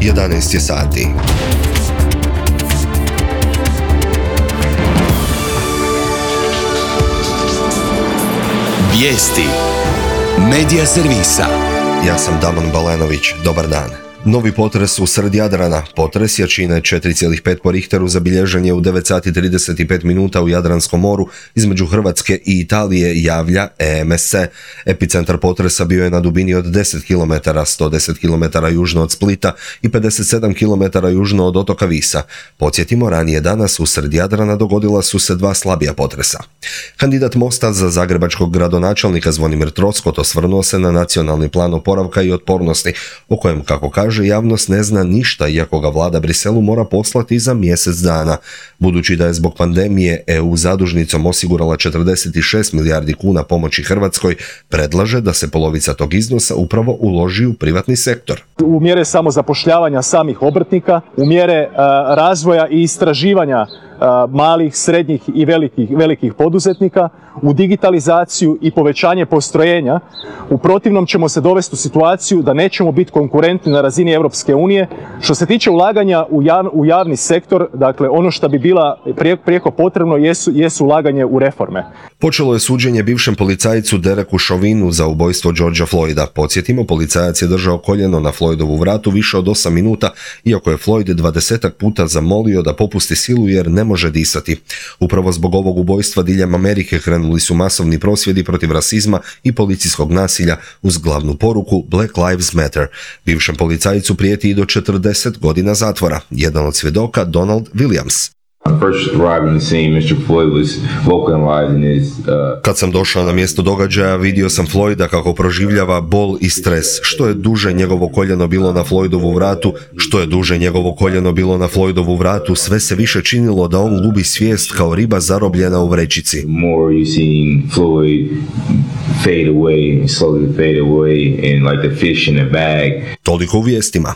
11 je sati. Vijesti Medija servisa. Ja sam Damon Balenović, dobar dan. Novi potres usred Jadrana. Potres jačine 4,5 po Richteru zabilježen je u 9 sati 35 minuta u Jadranskom moru između Hrvatske i Italije, javlja EMSC. Epicentar potresa bio je na dubini od 10 km, 110 km južno od Splita i 57 km južno od otoka Visa. Podsjetimo, ranije danas usred Jadrana dogodila su se dva slabija potresa. Kandidat Mosta za zagrebačkog gradonačelnika Zvonimir Troskot osvrnuo se na nacionalni plan oporavka i otpornosti, o kojem, kako kaže, javnost ne zna ništa, iako ga vlada Briselu mora poslati za mjesec dana. Budući da je zbog pandemije EU zadužnicom osigurala 46 milijardi kuna pomoći Hrvatskoj, predlaže da se polovica tog iznosa upravo uloži u privatni sektor. U mjere samozapošljavanja samih obrtnika, u mjere razvoja i istraživanja malih, srednjih i velikih poduzetnika, u digitalizaciju i povećanje postrojenja. U protivnom ćemo se dovesti u situaciju da nećemo biti konkurentni na razini Europske unije. Što se tiče ulaganja u javni sektor, dakle ono što bi bila prijeko potrebno jesu ulaganje u reforme. Počelo je suđenje bivšem policajcu Dereku Chauvinu za ubojstvo Georgea Floyda. Podsjetimo, policajac je držao koljeno na Floydovu vratu više od 8 minuta, iako je Floyd 20 puta zamolio da popusti silu jer ne može disati. Upravo zbog ovog ubojstva diljem Amerike krenuli su masovni prosvjedi protiv rasizma i policijskog nasilja uz glavnu poruku Black Lives Matter. Bivšem policajcu prijeti i do 40 godina zatvora. Jedan od svjedoka, Donald Williams. Kad sam došao na mjesto događaja, vidio sam Floyda kako proživljava bol i stres. Što je duže njegovo koljeno bilo na Floydovu vratu, sve se više činilo da on gubi svijest kao riba zarobljena u vrećici. Toliko u vijestima.